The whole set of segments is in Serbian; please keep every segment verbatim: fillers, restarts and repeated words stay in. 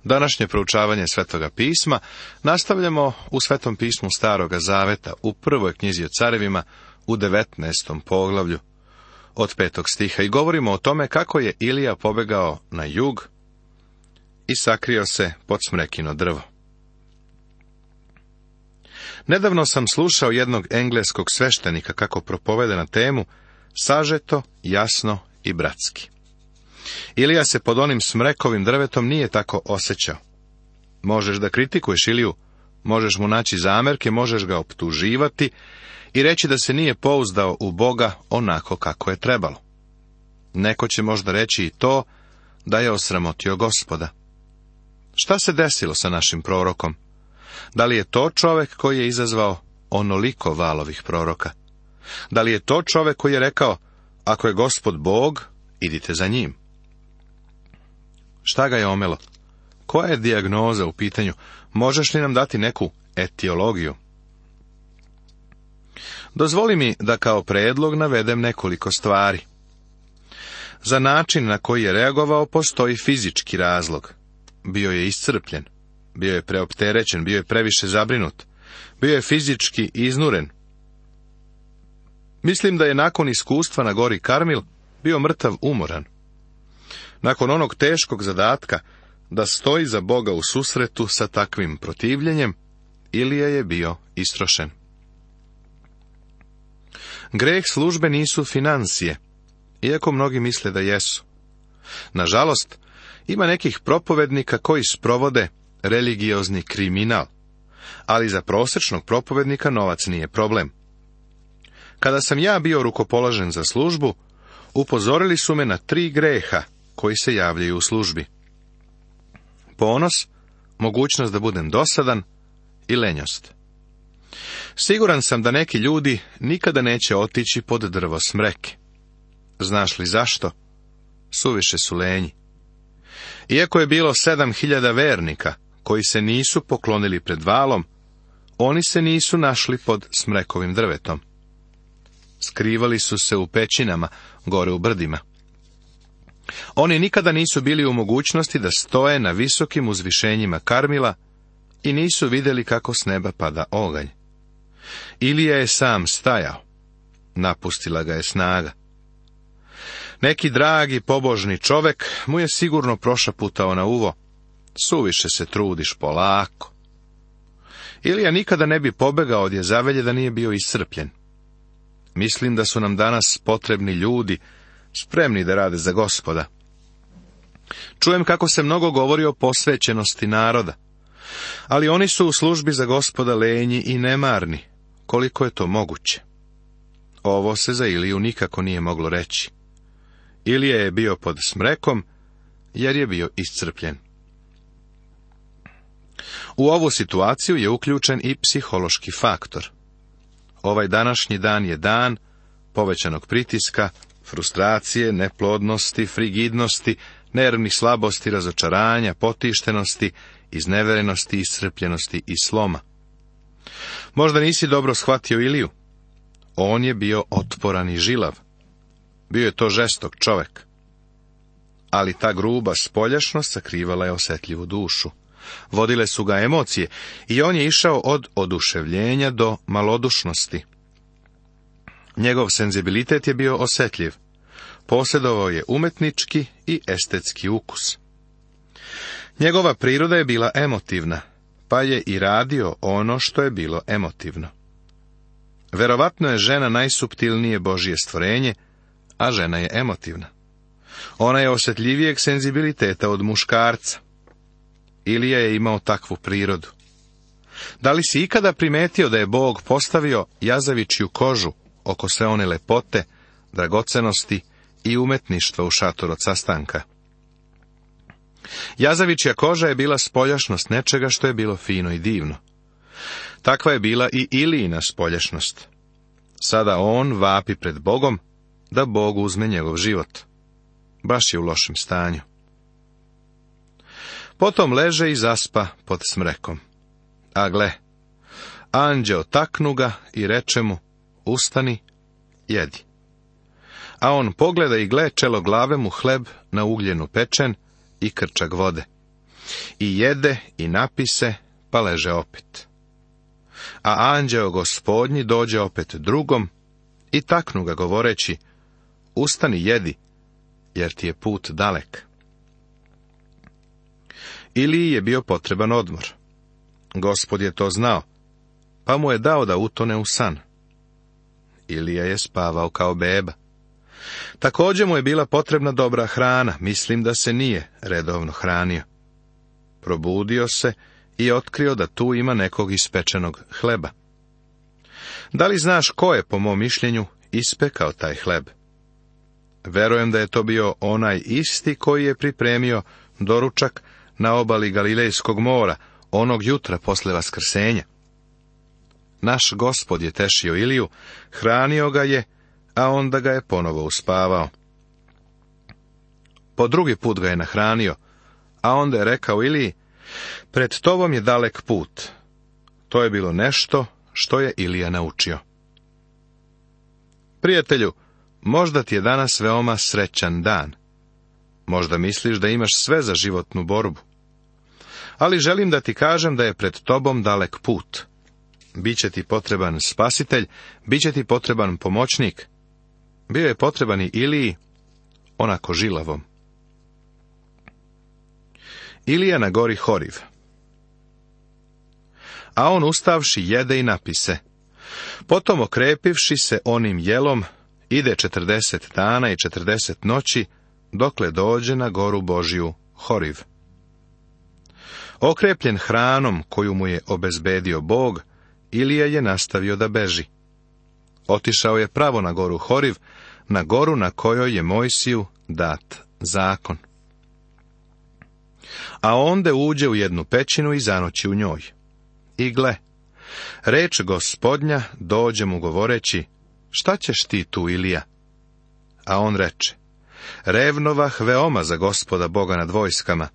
Današnje proučavanje Svetoga pisma nastavljamo u Svetom pismu Staroga Zaveta, u prvoj knjizi o carevima, u devetnaestom poglavlju, od petog stiha, i govorimo o tome kako je Ilija pobegao na jug i sakrio se pod smrekino drvo. Nedavno sam slušao jednog engleskog sveštenika kako propoveda na temu sažeto, jasno i bratski. Ilija se pod onim smrekovim drvetom nije tako osjećao. Možeš da kritikuješ Iliju, možeš mu naći zamerke, možeš ga optuživati i reći da se nije pouzdao u Boga onako kako je trebalo. Neko će možda reći i to da je osramotio Gospoda. Šta se desilo sa našim prorokom? Da li je to čovek koji je izazvao onoliko valovih proroka? Da li je to čovek koji je rekao, ako je Gospod Bog, idite za njim? Šta ga je omelo? Koja je dijagnoza u pitanju? Možeš li nam dati neku etiologiju? Dozvoli mi da kao predlog navedem nekoliko stvari. Za način na koji je reagovao postoji fizički razlog. Bio je iscrpljen, bio je preopterećen, bio je previše zabrinut, bio je fizički iznuren. Mislim da je nakon iskustva na gori Karmil bio mrtav umoran. Nakon onog teškog zadatka da stoji za Boga u susretu sa takvim protivljenjem, Ilija je bio istrošen. Greh službe nisu financije, iako mnogi misle da jesu. Nažalost, ima nekih propovednika koji sprovode religiozni kriminal, ali za prosječnog propovednika novac nije problem. Kada sam ja bio rukopoložen za službu, upozorili su me na tri greha koji se javljaju u službi. Ponos, mogućnost da budem dosadan i lenjost. Siguran sam da neki ljudi nikada neće otići pod drvo smreke. Znaš li zašto? Suviše su lenji. Iako je bilo sedam hiljada vernika koji se nisu poklonili pred valom, oni se nisu našli pod smrekovim drvetom. Skrivali su se u pećinama, gore u brdima. Oni nikada nisu bili u mogućnosti da stoje na visokim uzvišenjima Karmila i nisu vidjeli kako s neba pada oganj. Ilija je sam stajao, napustila ga je snaga. Neki dragi pobožni čovek mu je sigurno prošaputao na uvo, suviše se trudiš, polako. Ilija nikada ne bi pobegao od Jezavelje da nije bio iscrpljen. Mislim da su nam danas potrebni ljudi, spremni da rade za Gospoda. Čujem kako se mnogo govori o posvećenosti naroda, ali oni su u službi za Gospoda lenji i nemarni, koliko je to moguće. Ovo se za Iliju nikako nije moglo reći. Ilija je bio pod smrekom, jer je bio iscrpljen. U ovu situaciju je uključen i psihološki faktor. Ovaj današnji dan je dan povećanog pritiska, frustracije, neplodnosti, frigidnosti, nervnih slabosti, razočaranja, potištenosti, izneverenosti, iscrpljenosti i sloma. Možda nisi dobro shvatio Iliju. On je bio otporan i žilav. Bio je to žestok čovek. Ali ta gruba spoljašnost sakrivala je osjetljivu dušu. Vodile su ga emocije i on je išao od oduševljenja do malodušnosti. Njegov senzibilitet je bio osjetljiv. Posjedovao je umetnički i estetski ukus. Njegova priroda je bila emotivna, pa je i radio ono što je bilo emotivno. Verovatno je žena najsuptilnije Božje stvorenje, a žena je emotivna. Ona je osjetljivijeg senzibiliteta od muškarca. Ilija je imao takvu prirodu. Da li si ikada primetio da je Bog postavio jazavičju kožu oko sve one lepote, dragocenosti i umetništva u šator od sastanka? Jazavičja koža je bila spoljašnost nečega što je bilo fino i divno. Takva je bila i Ilijina spoljašnost. Sada on vapi pred Bogom da Bog uzme njegov život. Baš je u lošem stanju. Potom leže i zaspa pod smrekom. A gle, anđeo taknu ga i reče mu, ustani, jedi. A on pogleda i gle, čelo glave mu hleb na ugljenu pečen i krčak vode. I jede i napise, pa leže opet. A anđeo Gospodnji dođe opet drugom i taknu ga govoreći, ustani jedi, jer ti je put dalek. Iliji je bio potreban odmor. Gospod je to znao, pa mu je dao da utone u san. Ilija je spavao kao beba. Također mu je bila potrebna dobra hrana, mislim da se nije redovno hranio. Probudio se i otkrio da tu ima nekog ispečenog hleba. Da li znaš ko je, po mom mišljenju, ispekao taj hleb? Verujem da je to bio onaj isti koji je pripremio doručak na obali Galilejskog mora, onog jutra posle vaskrsenja. Naš Gospod je tešio Iliju, hranio ga je, a onda ga je ponovo uspavao. Po drugi put ga je nahranio, a onda je rekao Iliji, pred tobom je dalek put. To je bilo nešto što je Ilija naučio. Prijatelju, možda ti je danas veoma srećan dan. Možda misliš da imaš sve za životnu borbu. Ali želim da ti kažem da je pred tobom dalek put. Biće ti potreban spasitelj, biće ti potreban pomoćnik. Bio je potreban i Iliji, onako žilavom. Ilija na gori Horiv. A on ustavši jede i napise. Potom okrepivši se onim jelom, ide četrdeset dana i četrdeset noći, dokle dođe na goru Božju Horiv. Okrepljen hranom koju mu je obezbedio Bog, Ilija je nastavio da beži. Otišao je pravo na goru Horiv, na goru na kojoj je Mojsiju dat zakon. A onda uđe u jednu pećinu i zanoći u njoj. I gle, reč Gospodnja dođe mu govoreći, šta ćeš ti tu, Ilija? A on reče, revnovah veoma za Gospoda Boga nad vojskama,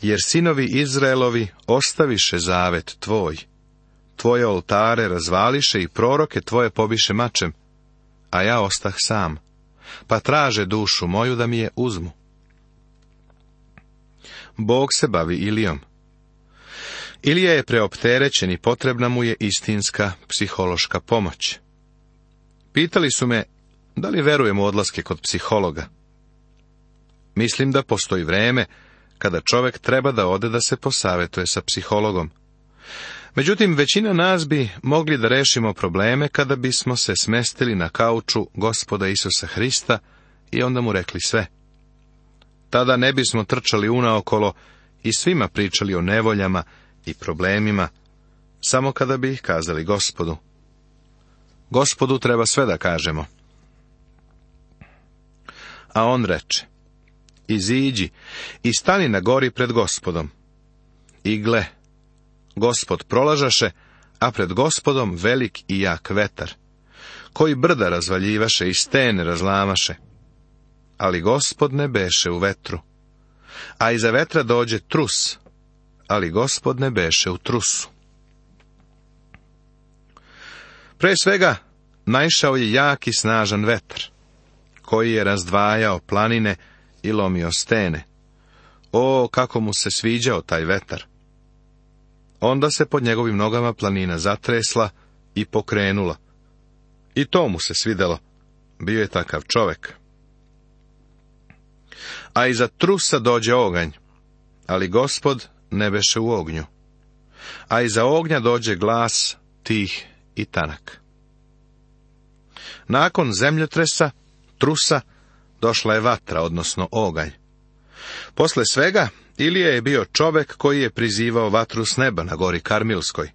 jer sinovi Izraelovi ostaviše zavet tvoj. Tvoje oltare razvališe i proroke tvoje pobiše mačem, a ja ostah sam, pa traže dušu moju da mi je uzmu. Bog se bavi Ilijom. Ilija je preopterećen i potrebna mu je istinska psihološka pomoć. Pitali su me, da li verujem u odlaske kod psihologa? Mislim da postoji vreme kada čovjek treba da ode da se posavetuje sa psihologom. Međutim, većina nas bi mogli da rešimo probleme kada bismo se smestili na kauču Gospoda Isusa Hrista i onda mu rekli sve. Tada ne bismo trčali unaokolo i svima pričali o nevoljama i problemima, samo kada bi ih kazali Gospodu. Gospodu treba sve da kažemo. A on reče, iziđi i stani na gori pred Gospodom. I gle, Gospod prolažaše, a pred Gospodom velik i jak vetar, koji brda razvaljivaše i stene razlamaše. Ali Gospod ne beše u vetru. A iza vetra dođe trus, ali Gospod ne beše u trusu. Pre svega, naišao je jak i snažan vetar, koji je razdvajao planine i lomio stene. O, kako mu se sviđao taj vetar! Onda se pod njegovim nogama planina zatresla i pokrenula. I to mu se svidelo. Bio je takav čovek. A iza trusa dođe oganj, ali Gospod ne beše u ognju. A iza ognja dođe glas tih i tanak. Nakon zemljotresa, trusa, došla je vatra, odnosno oganj. Posle svega, Ilija je bio čovek koji je prizivao vatru s neba na gori Karmilskoj.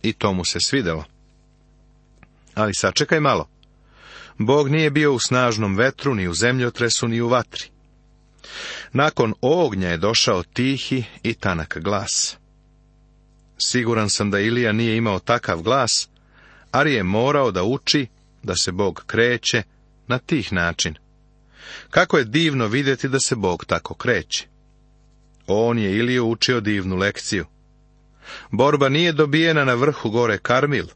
I to mu se svidelo. Ali sačekaj malo. Bog nije bio u snažnom vetru, ni u zemljotresu, ni u vatri. Nakon ognja je došao tihi i tanak glas. Siguran sam da Ilija nije imao takav glas, ali je morao da uči da se Bog kreće na tih način. Kako je divno vidjeti da se Bog tako kreće. On je Iliju učio divnu lekciju. Borba nije dobijena na vrhu gore Karmil,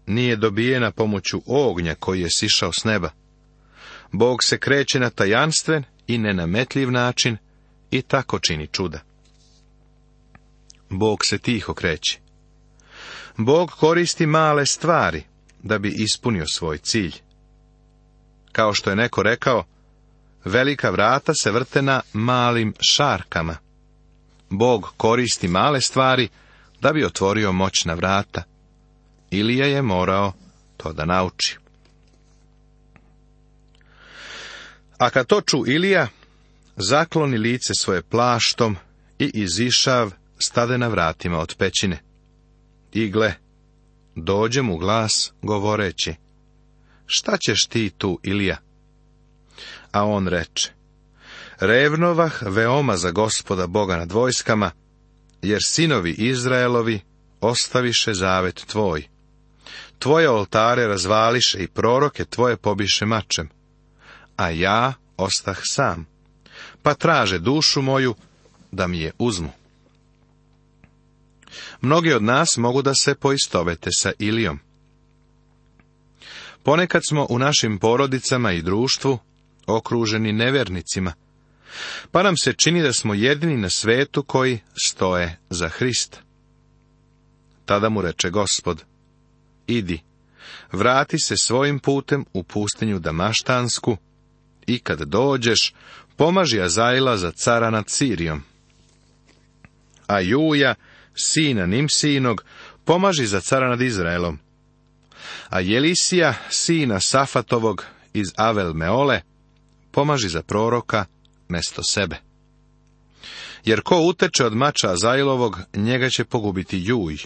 nije dobijena pomoću ognja koji je sišao s neba. Bog se kreće na tajanstven i nenametljiv način i tako čini čuda. Bog se tiho kreće. Bog koristi male stvari da bi ispunio svoj cilj. Kao što je neko rekao, velika vrata se vrte na malim šarkama. Bog koristi male stvari da bi otvorio moćna vrata. Ilija je morao to da nauči. A kad to ču Ilija, zakloni lice svoje plaštom i izišav stade na vratima od pećine. I gle, dođe mu glas govoreći: šta ćeš ti tu, Ilija? A on reče: revnovah veoma za Gospoda Boga nad vojskama, jer sinovi Izraelovi ostaviše zavet tvoj. Tvoje oltare razvališe i proroke tvoje pobiše mačem, a ja ostah sam, pa traže dušu moju da mi je uzmu. Mnogi od nas mogu da se poistovete sa Ilijom. Ponekad smo u našim porodicama i društvu okruženi nevernicima, pa nam se čini da smo jedini na svetu koji stoje za Hrista. Tada mu reče Gospod: idi, vrati se svojim putem u pustinju Damaštansku i kad dođeš, pomaži Azaila za cara nad Sirijom. A Juja, sina Nimsijinog, pomaži za cara nad Izraelom. A Jelisija, sina Safatovog iz Avel Meole, pomaži za proroka mesto sebe. Jer ko uteče od mača Azailovog, njega će pogubiti Juj,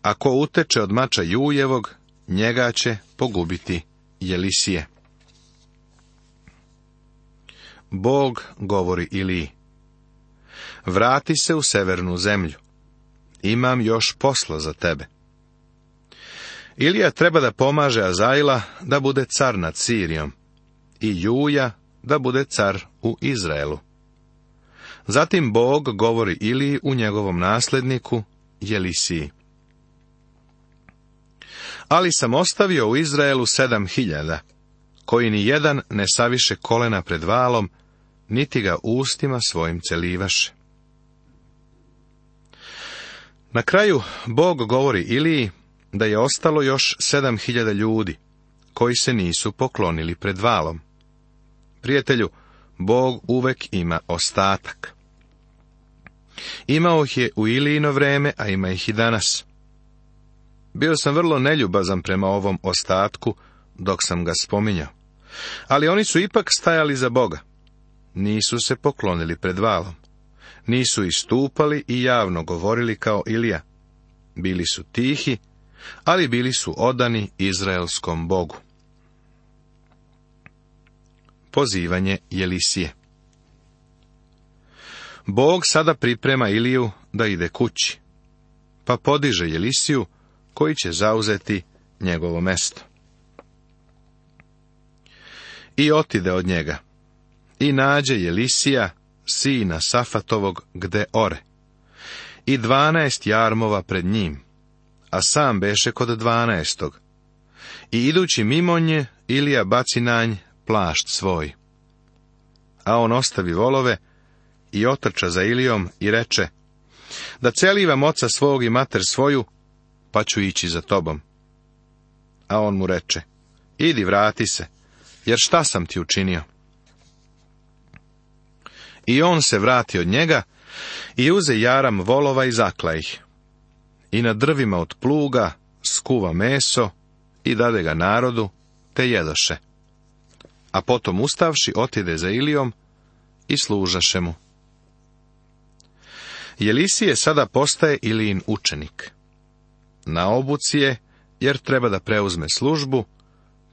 a ko uteče od mača Jujevog, njega će pogubiti Jelisije. Bog govori Iliji: vrati se u severnu zemlju, imam još posla za tebe. Ilija treba da pomaže Azaila da bude car nad Sirijom i Juja da bude car u Izraelu. Zatim Bog govori Iliji u njegovom nasledniku Jelisiji: ali sam ostavio u Izraelu sedam hiljada, koji ni jedan ne saviše kolena pred valom, niti ga ustima svojim celivaše. Na kraju Bog govori Iliji da je ostalo još sedam hiljada ljudi, koji se nisu poklonili pred valom. Prijatelju, Bog uvek ima ostatak. Imao ih je u Ilijino vreme, a ima ih i danas. Bio sam vrlo neljubazan prema ovom ostatku dok sam ga spominjao, ali oni su ipak stajali za Boga. Nisu se poklonili pred valom. Nisu istupali i javno govorili kao Ilija. Bili su tihi, ali bili su odani izraelskom Bogu. Pozivanje Jelisije. Bog sada priprema Iliju da ide kući, pa podiže Jelisiju koji će zauzeti njegovo mesto. I otide od njega, i nađe Jelisija, sina Safatovog, gde ore, i dvanaest jarmova pred njim, a sam beše kod dvanaestog. I idući mimo nje, Ilija baci na nj plašt svoj. A on ostavi volove i otrča za Ilijom i reče: da celivam oca svog i mater svoju, pa ću ići za tobom. A on mu reče: idi, vrati se, jer šta sam ti učinio? I on se vrati od njega i uze jaram volova i zakla ih. I na drvima od pluga skuva meso i dade ga narodu, te jedoše. A potom ustavši otide za Ilijom i služaše mu. Jelisije sada postaje Ilijin učenik. Na obuci je, jer treba da preuzme službu,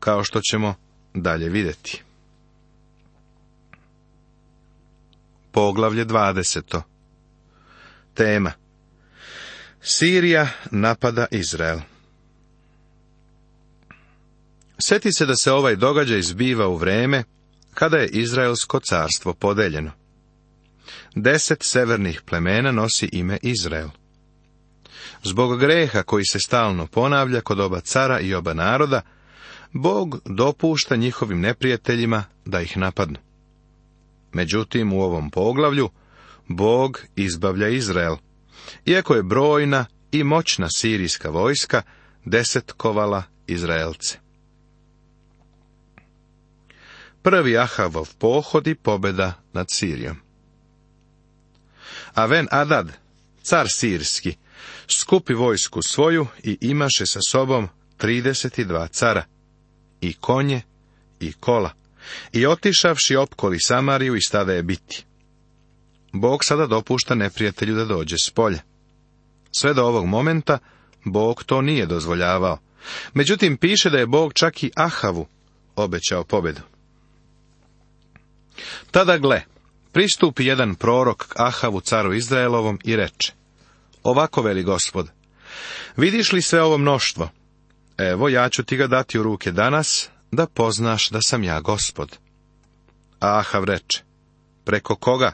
kao što ćemo dalje vidjeti. Poglavlje dvadeseto. Tema: Sirija napada Izrael. Sjeti se da se ovaj događaj zbiva u vreme kada je Izraelsko carstvo podeljeno. Deset severnih plemena nosi ime Izrael. Zbog greha koji se stalno ponavlja kod oba cara i oba naroda, Bog dopušta njihovim neprijateljima da ih napadnu. Međutim, u ovom poglavlju Bog izbavlja Izrael iako je brojna i moćna sirijska vojska desetkovala Izraelce. Prvi Ahavov pohod i pobjeda nad Sirijom. A Ben Adad, car sirski, skupi vojsku svoju i imaše sa sobom trideset dva cara, i konje, i kola, i otišavši opkoli Samariju i stada je biti. Bog sada dopušta neprijatelju da dođe s polja. Sve do ovog momenta Bog to nije dozvoljavao. Međutim, piše da je Bog čak i Ahavu obećao pobjedu. Tada gle, pristupi jedan prorok k Ahavu caru Izraelovom i reče: Ovako veli Gospod, vidiš li sve ovo mnoštvo? Evo, ja ću ti ga dati u ruke danas, da poznaš da sam ja Gospod. A Ahav reče: Preko koga?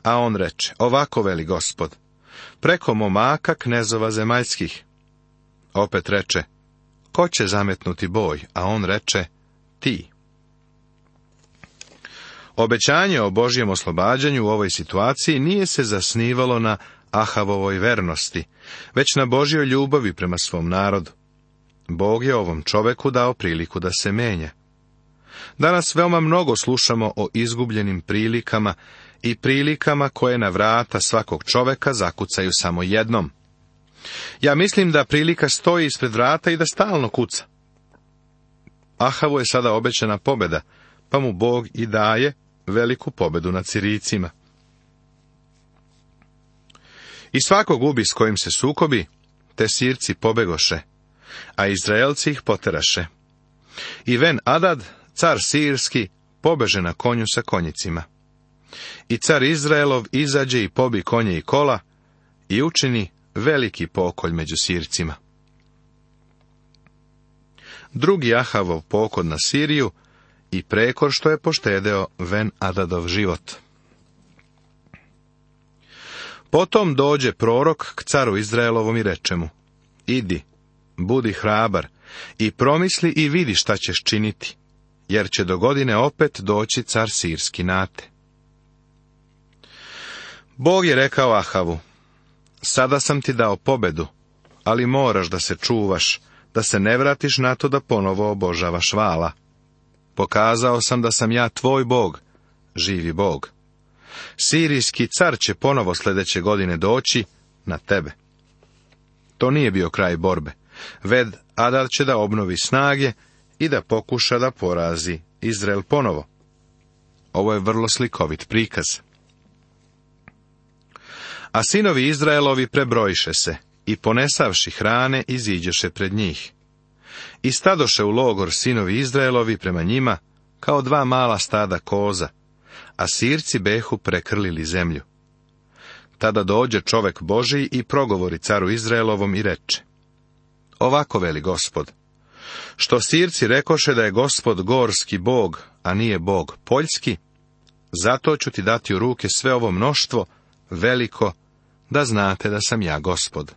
A on reče: Ovako veli Gospod, preko momaka knezova zemaljskih. Opet reče: Ko će zametnuti boj? A on reče: Ti. Obećanje o Božjem oslobađanju u ovoj situaciji nije se zasnivalo na Ahavovoj vernosti, već na Božjoj ljubavi prema svom narodu. Bog je ovom čoveku dao priliku da se menja. Danas veoma mnogo slušamo o izgubljenim prilikama i prilikama koje na vrata svakog čoveka zakucaju samo jednom. Ja mislim da prilika stoji ispred vrata i da stalno kuca. Ahavu je sada obećana pobjeda, pa mu Bog i daje veliku pobjedu nad Sirijcima. I svako gubi s kojim se sukobi, te Sirci pobegoše, a Izraelci ih poteraše. I Ben Adad, car sirski, pobeže na konju sa konjicima. I car Izraelov izađe i pobi konje i kola i učini veliki pokolj među Sircima. Drugi Ahavov pokod na Siriju i prekor što je poštedeo Ben Adadov život. Potom dođe prorok k caru Izraelovom i reče mu: Idi, budi hrabar i promisli i vidi šta ćeš činiti, jer će do godine opet doći car sirski na te. Bog je rekao Ahavu: Sada sam ti dao pobedu, ali moraš da se čuvaš, da se ne vratiš na to da ponovo obožavaš Vaala. Pokazao sam da sam ja tvoj Bog, živi Bog. Sirijski car će ponovo sljedeće godine doći na tebe. To nije bio kraj borbe. Ben Adad će da obnovi snage i da pokuša da porazi Izrael ponovo. Ovo je vrlo slikovit prikaz. A sinovi Izraelovi prebrojiše se i ponesavši hrane iziđeše pred njih. I stadoše u logor sinovi Izraelovi prema njima kao dva mala stada koza, a Sirci behu prekrlili zemlju. Tada dođe čovek Božiji i progovori caru Izraelovom i reče: Ovako veli Gospod, što Sirci rekoše da je Gospod gorski Bog, a nije Bog poljski, zato ću ti dati u ruke sve ovo mnoštvo, veliko, da znate da sam ja Gospod.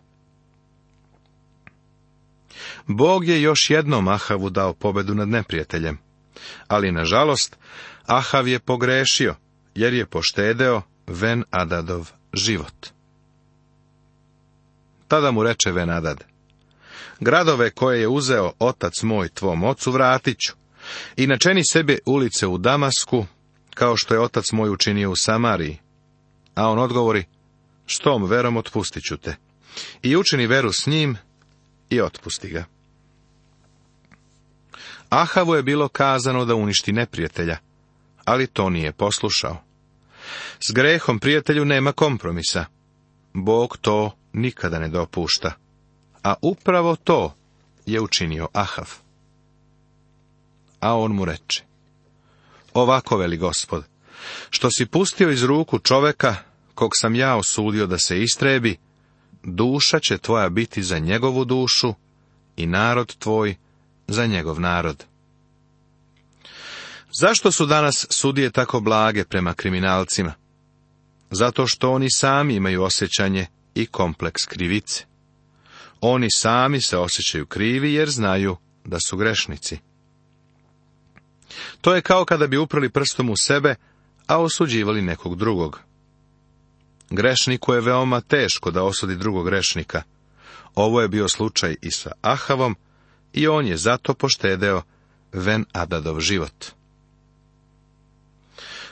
Bog je još jednom Ahavu dao pobedu nad neprijateljem, ali nažalost Ahav je pogrešio, jer je poštedeo Ben Adadov život. Tada mu reče Ben Adad: Gradove koje je uzeo otac moj tvom ocu vratit ću, i načeni sebi ulice u Damasku, kao što je otac moj učinio u Samariji. A on odgovori: S tom verom otpustit ću te. I učini veru s njim i otpusti ga. Ahavu je bilo kazano da uništi neprijatelja, ali to nije poslušao. S grehom prijatelju nema kompromisa. Bog to nikada ne dopušta. A upravo to je učinio Ahav. A on mu reče: Ovako veli Gospod, što si pustio iz ruku čoveka, kog sam ja osudio da se istrebi, duša će tvoja biti za njegovu dušu i narod tvoj za njegov narod. Zašto su danas sudije tako blage prema kriminalcima? Zato što oni sami imaju osjećanje i kompleks krivice. Oni sami se osjećaju krivi jer znaju da su grešnici. To je kao kada bi uprli prstom u sebe, a osuđivali nekog drugog. Grešniku je veoma teško da osudi drugog grešnika. Ovo je bio slučaj i sa Ahavom, i on je zato poštedeo Ben-Adadov život.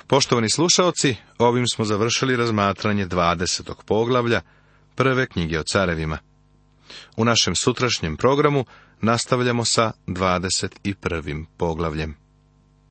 Poštovani slušaoci, ovim smo završili razmatranje dvadesetog poglavlja prve knjige o carevima. U našem sutrašnjem programu nastavljamo sa dvadeset prvim poglavljem.